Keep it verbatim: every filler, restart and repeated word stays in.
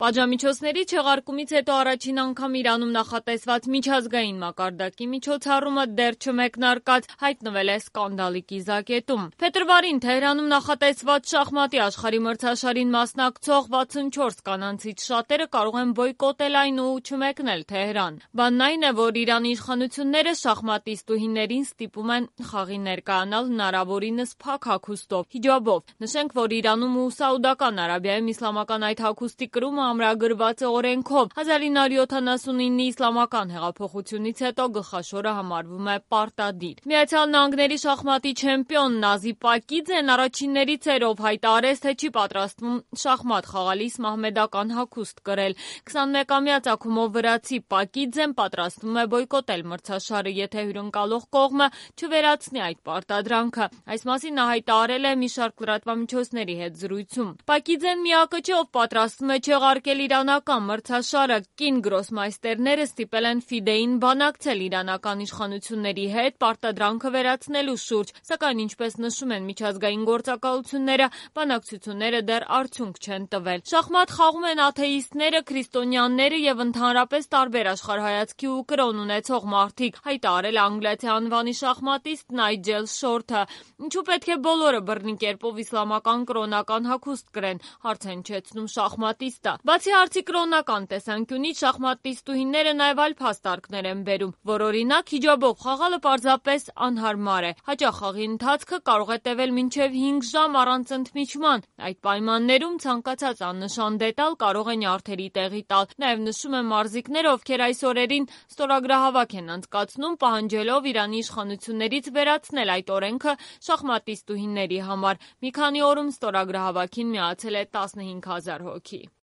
Պատժամիջոցների չեղարկումից հետո առաջին անգամ Իրանում նախատեսված միջազգային մակարդակի միջոցառումը դեռ չմեկնարկած հայտնվել է սկանդալի կիզակետում։ Փետրվարին Թեհրանում նախատեսված շախմատի աշխարհի մրցաշարին մասնակցող վաթսունչորս կանանցից շատերը կարող են բոյկոտել այն ու չմեկնել Թեհրան։ Բանն այն է, որ Իրանի իշխանությունները շախմատիստուհիներին ստիպում են խաղի ներկայանալ հնարավորինս փակ հագուստով՝ հիջաբով։ Նշենք, որ Իրանում ու Սաուդական Արաբիայում իսլամական այդ հագուստի կրումը ամրագրված է օրենքով։ հազար ինը հարյուր յոթանասունինի իսլամական հեղափոխությունից հետո գլխաշորը համարվում է պարտադիր։ Միացյալ Նահանգների շախմատի չեմպիոն Նազի Պակիձեն առաջիններից էր, ով հայտարարեց, թե չի պատրաստվում շախմատ խաղալիս մահմեդական հագուստ կրել։ քսանմեկամյա ծագումով վրացի Պակիձեն պատրաստվում է բոյկոտել մրցաշարը, եթե հյուրընկալող կողմը չվերացնի այդ պարտադրանքը։ Այս մասին նա հայտարարել է մի շարք լրատվամիջոցների հետ զրույցում։ Պակիձեն միակը չէ, ով պատրաստվում է չեղարկել իրանական մրցաշարը։ Կին գրոսմայստերները ստիպել են ՖԻԴԵ-ին բանակցել իրանական իշխանությունների հետ պարտադրանքը վերացնելու շուրջ, սակայն ինչպես նշում են միջազգային գործակալությունները, բանակցությունները դեռ արդյունք չեն տվել։ Շախմատ խաղում են աթեիստները, քրիստոնյաները եւ ընդհանրապես տարբեր աշխարհայացքի ու կրոն ունեցող մարդիկ, հայտարարել է անգլիացի անվանի շախմատիստ Նայջել Շորթը։ Ինչու պետք է բոլորը բռնի կերպով իսլամական կրոնական հագուստ կրեն, հարց է հնչեցնում շախմատիստը։ Բացի հարցի կրոնական տեսանկյունից, շախմատիստուհիները նաև այլ փաստարկներ են բերում, որ օրինակ հիջաբով խաղալը պարզապես անհարմար է։ Հաճախ խաղի ընթացքը կարող է տևել մինչև հինգ ժամ առանց ընդմիջման։ Այդ պայմաններում ցանկացած աննշան դետալ կարող է նյարդերի տեղի տալ։ Նաև նշում են մարզիկները, ովքեր այս օրերին ստորագրահավաք են անցկացնում, պահանջելով Իրանի իշխանություններից վերացնել այդ օրենքը շախմատիստուհիների համար։ Մի քանի օրում ստորագրահավաքին միացել է տասնհինգ հազար հոգի։